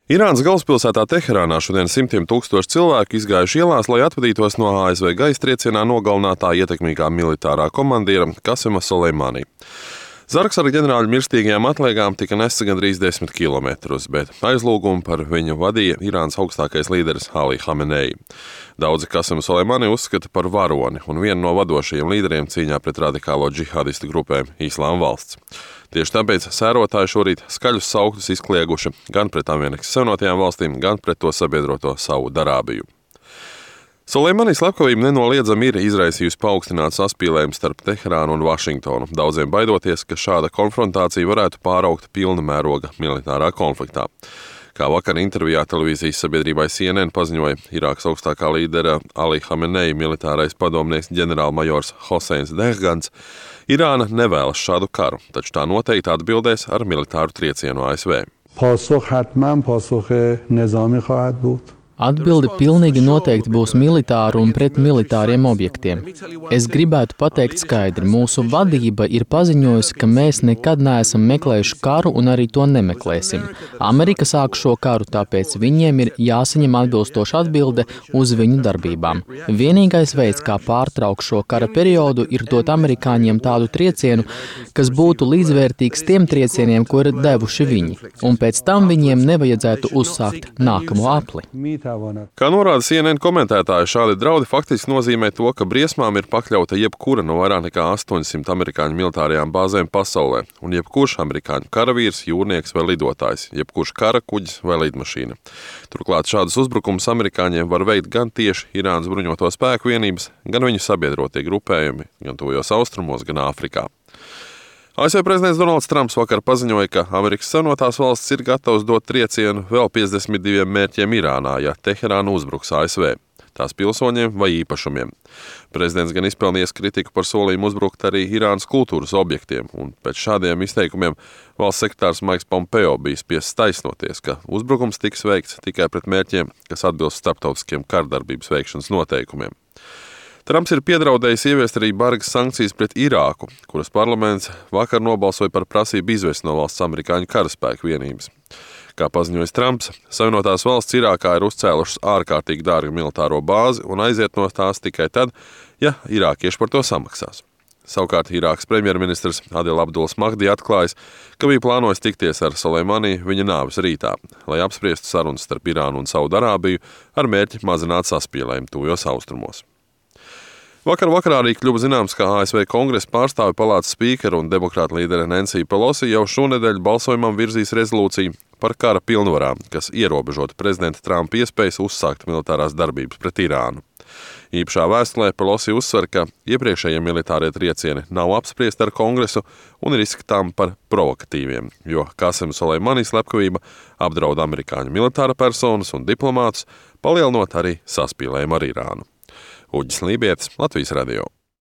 Irānas galvaspilsētā Teherānā šodien simtiem tūkstoši cilvēku izgājuši ielās, lai atvadītos no ASV gaisa triecienā nogalinātā ietekmīgā militārā komandiera Kasema Soleimani. Zargs ar ģenerāļu mirstīgajām atliekām tika nests gandrīz 10 kilometrus, bet aizlūgumu par viņu vadīja Irānas augstākais līderis Ali Hamenei. Daudzi Kasemu Soleimani uzskata par varoni un vienu no vadošajiem līderiem cīņā pret radikālo džihādistu grupēm Islāma valsts. Tieši tāpēc sērotāji šorīt skaļus sauktus izklieguši gan pret Amerikas Savienotajām valstīm, gan pret to sabiedroto Saudarābiju. Soleimani slepkavība nenoliedzami ir izraisījusi paaugstinātu saspīlējumu starp Teherānu un Vašingtonu, daudziem baidoties, ka šāda konfrontācija varētu pāraugt pilna mēroga militārā konfliktā. Kā vakar intervijā televīzijas sabiedrībai CNN paziņoja Irākas augstākā līdera Ali Hamenei militārais padomnieks ģenerālmajors Hoseins Dehgans, Irāna nevēlas šādu karu, taču tā noteikti atbildēs ar militāru triecienu ASV. Atbilde pilnīgi noteikti būs militāru un pret militāriem objektiem. Es gribētu pateikt skaidri, mūsu vadība ir paziņojusi, ka mēs nekad neesam meklējuši karu un arī to nemeklēsim. Amerika sāk šo karu, tāpēc viņiem ir jāsaņem atbilstoša atbilde uz viņu darbībām. Vienīgais veids, kā pārtraukt šo kara periodu, ir dot amerikāņiem tādu triecienu, kas būtu līdzvērtīgs tiem triecieniem, ko ir devuši viņi, un pēc tam viņiem nevajadzētu uzsākt nākamo apli. Kā norāda CNN komentētāji, šādi draudi faktiski nozīmē to, ka briesmām ir pakļauta jebkura no vairāk nekā 800 amerikāņu militārajām bāzēm pasaulē, un jebkurš amerikāņu karavīrs, jūrnieks vai lidotājs, jebkurš kara kuģis vai lidmašīna. Turklāt šādus uzbrukumus amerikāņiem var veikt gan tieši Irānas bruņoto spēku vienības, gan viņu sabiedrotie grupējumi, gan tuvajos austrumos, gan Āfrikā. ASV prezidents Donalds Trumps vakar paziņoja, ka Amerikas Savienotās valstis ir gatavs dot triecienu vēl 52 mērķiem Irānā, ja Teherāna uzbruks ASV, tās pilsoņiem vai īpašumiem. Prezidents gan izpelnījis kritiku par solījumu uzbrukt arī Irānas kultūras objektiem, un pēc šādiem izteikumiem valsts sekretārs Maiks Pompeo bija spiests taisnoties, ka uzbrukums tiks veikts tikai pret mērķiem, kas atbilst starptautiskiem kardarbības veikšanas noteikumiem. Trumps ir piedraudējis ieviest arī bargas sankcijas pret Irāku, kuras parlaments vakar nobalsoja par prasību izvest no valsts amerikāņu karaspēku vienības. Kā paziņojis Trumps, Savienotās valsts Irākā ir uzcēlušas ārkārtīgi dārgu militāro bāzi un aiziet no tās tikai tad, ja irākieši par to samaksās. Savukārt Irākas premjerministrs Adil Abduls Mahdi atklājis, ka bija plānojis tikties ar Soleimani viņa nāves rītā, lai apspriestu sarunas starp Irānu un Saudarābiju ar mērķi mazināt saspīlējumu tuvajos austrumos. Vakarā arī kļuva zināms, ka ASV Kongresa pārstāvju palātas spīkera un demokrāta līdere Nancy Pelosi jau šonedēļ balsojumam virzīs rezolūciju par kara pilnvarām, kas ierobežotu prezidenta Trumpa iespējas uzsākt militārās darbības pret Irānu. Īpašā vēstulē Pelosi uzsver, ka iepriekšējie militārie triecieni nav apspriesti ar Kongresu un ir izskatām par provokatīviem, jo Kasema Soleimani slepkavība apdraud amerikāņu militāra personas un diplomātus, palielinot arī saspīlējumu ar Irānu. Uģis Lībietis, Latvijas radio.